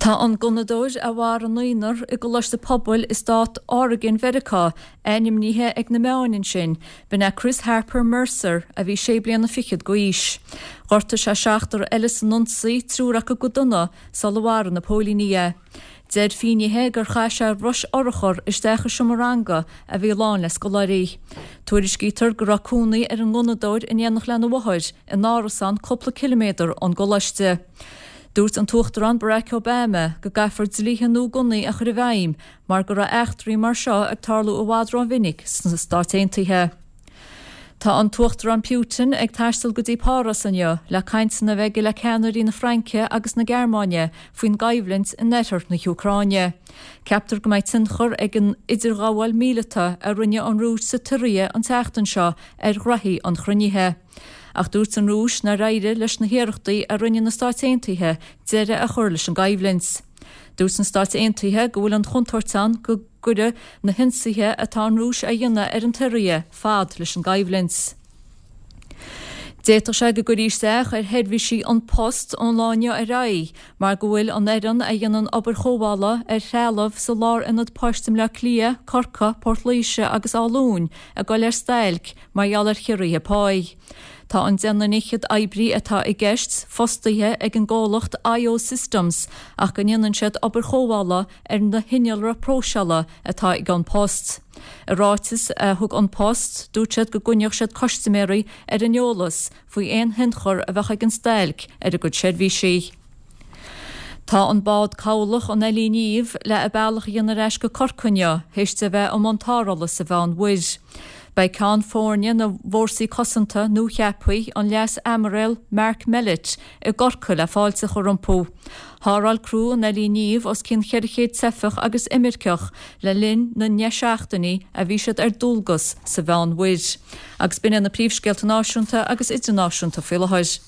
Tá an gunnadóir a mharaigh naonúr i gcoláiste pobail i stát Oregon Mheiriceá ainmnithe ag na meáin ansin. B'in é Chris Harper Mercer a bhí sé bliana fichead d'aois. Ghortaigh sé seachtar eile san ionsaí, triúr acu go dona, sula mharaigh na póilíní é. Deir finnéithe gur chaith sé rois urchar isteach i seomra ranga a bhí lán le scoláirí. Tuairiscítear go raibh cónaí ar an ngunnadóir in éineacht lena mháthair in árasán cúpla ciliméadar ón gcoláiste. Dúirt an tUachtarán Barack Obama go gcaithfear dlíthe nua gunnaí a chur i bhfeidhm mar go raibh eachtraí mar seo ag tarlú i bhfad rómhinic sna Stáit Aontaithe. Tá an tUachtarán Putin ag taisteal go dtí Páras inniu le cainteanna a bheith aige le ceannairí na Fraince agus na Gearmáine faoin gcoimhlint in oirthear na hÚcráine. Ceaptar go mbeidh tionchar ag an idirghabháil mhíleata a rinne an Rúis sa tSiria an tseachtain seo ar ghraithí an chruinnithe. Ach dúirt an Rúis nár éirigh leis na hiarrachtaí a rinne na Stáit Aontaithe deireadh a chur leis an gcoimhlint. Dúirt na Stáit Aontaithe go bhfuil an chontúirt ann go gcuirfidh na hionsaithe atá an Rúis a dhéanamh ar an tSiria fad leis an gcoimhlint. D'fhéadfadh sé go gcuirfí isteach ar sheirbhísí An Post ón lá inniu ar aghaidh mar go bhfuil an fhoireann a dhéanann obair chóireála ar threalamh sa lárionad poist i mBleá Cliath, Corcaigh, Port Laoise agus Áth Luain ag dul ar stailc mar gheall ar chiorruithe páí. Tá an deichniúr fhichead oibrí atá i gceist fostaithe ag an gcomhlacht IO Systems ach go ndéanann siad obair chóireála ar na hinnealra próiseála atá ag An Post. I ráiteas a thug An Post, dúirt siad go gcoinneodh siad custaiméirí ar an eolas faoi aon thionchar a bheadh ag an stailc ar a gcuid seirbhísí. Tá an bád cabhlach an Ellie Niamh le a bealach a dhéanamh ar ais go Corcaigh inniu théis di a bheith i mbun tarrthála sa Mheán-Mhuir. Beidh Ceann Foirne na bhFórsaí Cosanta nuacheaptha, an Leas-Aimiréal Mark Mellett, i gCorcaigh le fáilte a chur rompu. Tharrtháil criú an Ellie Niamh os cionn 400 teifeach agus imirceach le linn na ndeich seachtainí a bhí siad ar dualgas sa Mheán-Mhuir. Agus b'in iad na príomhscéalta náisiúnta agus idirnáisiúnta faoi láthair.